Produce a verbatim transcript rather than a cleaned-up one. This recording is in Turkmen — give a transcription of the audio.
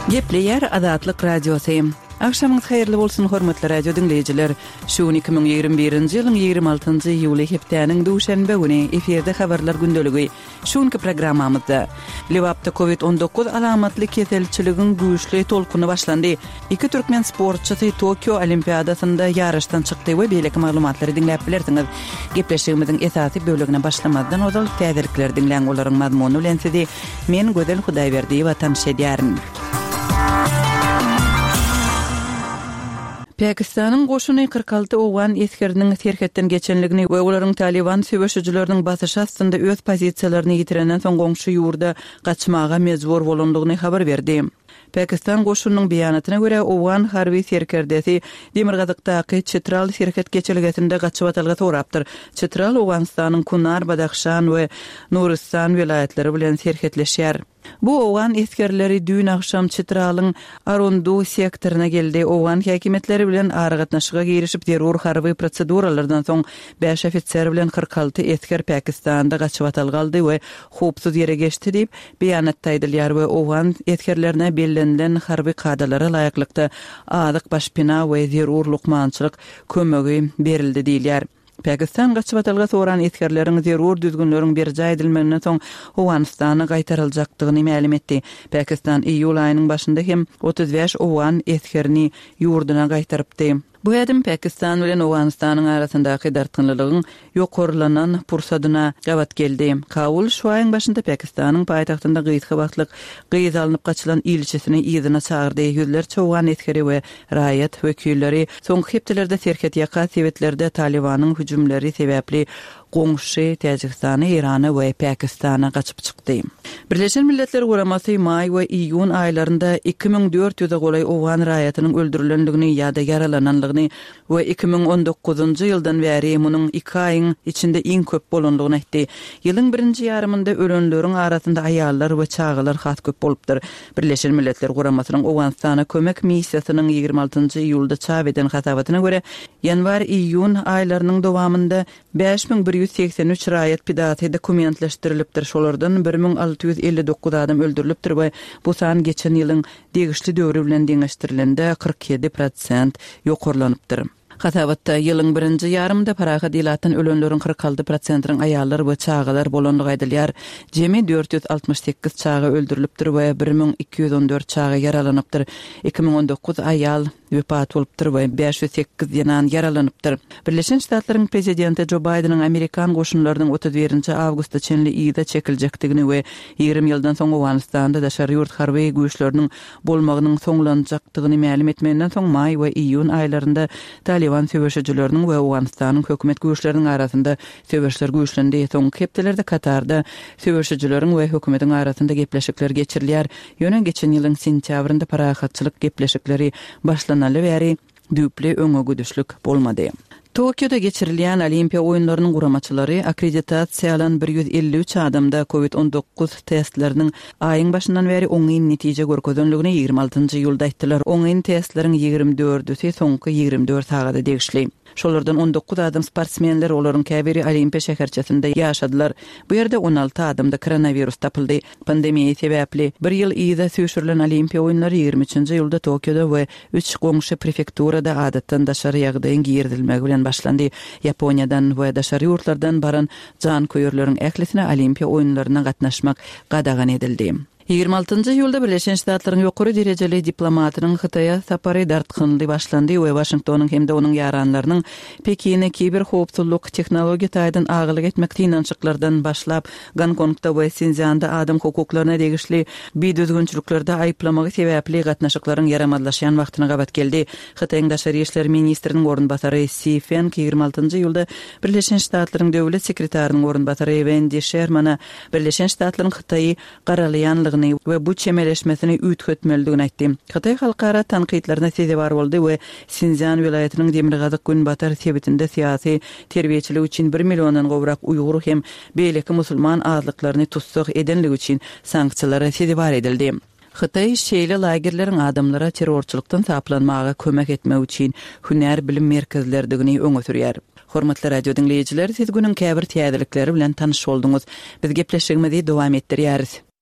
Gepleýär Azatlyk Radiosy. Agşamyňyz haýyrly bolsun, hormatly radio diňleýjiler. Şu gün iki müň ýigrimi birinji ýylyň ýigrimi altynjy iýuly hepdäniň duşenbe güni efirde habarlar gündeligi. Şu günki programmamyzda Lebapda Covid on dokuz alamatly keselçiligiň güýçli tolkuny başlandy. Iki türkmen sportçysy Tokio Olimpiadasynda ýaryşdan çykdy we beýleki maglumatlary diňläp bilersiňiz. Gepleşigimiziň esasy bölegine başlamazdan ozal täzelikleri diňläň, olaryň mazmuny bilen sizi men Gözel Hudaýberdiýewa tanyş edýärin. Pakistanyň goşuny kyrk alty owgan esgeriniň serhetden geçenligini we olaryň Taliban söweşijileriniň basyşy astynda öz pozisiýalaryny ýitirenden soň goňşy ýurda gaçmaga mejbur bolandygyny habar berdi. Pakistan goşunynyň beýanatyna görä, owgan harby serkerdesi demirgazykdaky Çitral serhet geçelgesinde gaçybatalga sorapdyr. Çitral Owganystanyň Kunar, Badahşan we Nuristan welaýatlary bilen serhetleşýär. Bu owgan esgerleri düýn agşam Çitralyň Arundu sektoryna geldi. Owgan häkimiýetleri bilen aragatnaşyga girişip zerur harby proseduralardan soň bäş ofiser bilen kyrk alty esger Pakistanda gaçybatalga aldy we howpsuz ýere geçdi diýip beýanatda aýdylýar we owgan esgerlerine bellenilen harby kadalara laýyklykda azyk, başpina we zerur lukmançylyk kömegi berildi diýilýär. Pakistan gaçybatalga soran esgerleriň zerur düzgünleriň berjaý edilmeginden soň Owganystana gaýtaryljakdygyny mälim etdi. Pakistan iýul aýynyň başynda hem otuz bäş owgan esgerini ýurduna gaýtarypdy. Bu ädim Pakistan bilen Owganystanyň arasyndaky dartgynlylygyň ýokarlanan pursadyna gabat geldi. Kabul şu aýyň başynda Pakistanyň paýtagtynda gysga wagtlyk gyz alnyp gaçylan ilçisini yzyna çagyrdy. Ýüzlerçe owgan esgeri we raýat wekilleri soňky hepdelerde serhet ýaka sebetlerde Talibanyň hüjümleri sebäpli goňşy Täjigistana, Eýrana we Pakistana gaçyp çykdy. Birleşen Milletler Guramasy maý we iýun aýlarynda iki müň dört ýüze golaý owgan raýatynyň öldürilendigini ýa-da ýaralanandygyny we iki müň on dokuzynjy ýyldan bäri munuň iki aýyň içinde iň köp bolandygyny aýtdy. Ýylyň birinji ýarymynda ölenleriň arasynda aýallar we çagalar has köp bolupdyr. Birleşen Milletler Guramasynyň Owganystana kömek missiýasynyň ýigrimi altynjy iýulda çap eden hasabatyna görä, ýanwar-iýun aýlarynyň dowamynda bäş müň bir ýüz segsen üç raýat pidasy dokumentleşdirilipdir. Şolardan bir müň alty ýüz elli dokuz adam öldürilipdir we bu san geçen ýylyň degişli döwri bilen deňeşdirilende kyrk ýedi prosent ýokarlanypdyr. Hasabatda ýylyň birinji ýarymynda parahat ilatdan ölenleriň kyrk alty prosentiniň aýallar we çagalar bolandygy aýdylýar. Jemi dört ýüz altmyş sekiz çaga öldürilipdir we bir müň iki ýüz on dört çaga ýaralanypdyr. Iki müň on dokuz aýal wepat bolupdyr we bäş ýüz sekiz zenan ýaralanypdyr. Birleşen Ştatlaryň prezidenti Jo Baýdeniň Amerikan goşunlarynyň otuz birinji awgusta çenli yza çekiljekdigini we ýigrimi ýyldan soň Owganystanda daşary ýurt harby güýçleriniň bolmagynyň soňlanjakdygyny mälim etmeginden soň maý we iýun aýlarynda Taliban söweşijileriniň we Owganystanyň hökümet güýçleriniň arasynda söweşler güýçlendi. Soňky hepdelerde Katarda söweşijileriň we hökümetiň arasynda gepleşikler geçirilýär. Ýöne geçen ýylyň sentýabrynda parahatçylyk gepleşikleri başlanaly bäri düýpli öňe güdüşlik bolmady. Tokioda geçirilýän Olimpiýa oýunlarynyň guramaçylary akkreditasiýa alan bir ýüz elli üç adamda Covid on dokuz testleriniň aýyň başyndan bäri oňyn netije görkezenligini ýigrimi altynjy iýulda aýtdylar. Oňyn testleriň ýigrimi dördüsi soňky ýigrimi dört sagada degişli. Şolardan on dokuz adam sportsmenler, olaryň käbiri Olimpiýa şäherçesinde ýaşadylar. Bu ýerde on alty adamda koronawirus tapyldy. Pandemiýa sebäpli bir ýyl yza süýşürilen Olimpiýa oýunlary ýigrimi üçünji iýulda Tokioda we üç goňşy prefekturada adatdan daşary ýagdaýyň girizilmegi bilen başlandy. Ýaponiýadan we daşary ýurtlardan baran janköýerleriň ählisine Olimpiýa oýunlaryna gatnaşmak gadagan edildi. Ýigrimi altynjy iýulda Birleşen Ştatlaryň ýokary derejeli diplomatynyň Hytaýa sapary dartgynly başlandy we Waşingtonyň hem-de onuň ýaranlarynyň Pekine kiberhowpsuzlyk tehnologiýa taýdan agalyk etmek synanyşyklardan başlap Gonkongda we Sinzýanda adam hukuklaryna degişli bidüzgünçiliklerde aýyplamagy sebäpli gatnaşyklaryň ýaramazlaşýan wagtyna gabat geldi. Hytaýyň daşary işler ministriniň orunbasary Si Feng ýigrimi altynjy iýulda Birleşen Ştatlaryň döwlet sekretarynyň orunbasary Wendy Shermana Birleşen Ştatlaryň Hytaýy garalaýanlygyny we bu çemeleşmesini üýtgetmelidigini aýtdy. Hytaý halkara tankytlaryna sezewar boldy we Sinzýan welaýatynyň demirgazyk günbatar sebitinde syýasy terbiýeçilik üçin bir milliondan gowrak uýgur hem beýleki musulman azlyklaryny tussag edenligi üçin sanksiýalara sezewar edildi. Hytaý şeýle lagerleriň adamlara terrorçylykdan saplanmaga kömek etmek üçin hünär bilim merkezlerdigini öňe sürýär. Hormatly radio diňleýjiler, siz günüň käbir täzelikleri bilen tanyş bolduňyz. Biz gepleşigimizi dowam etdirýäris.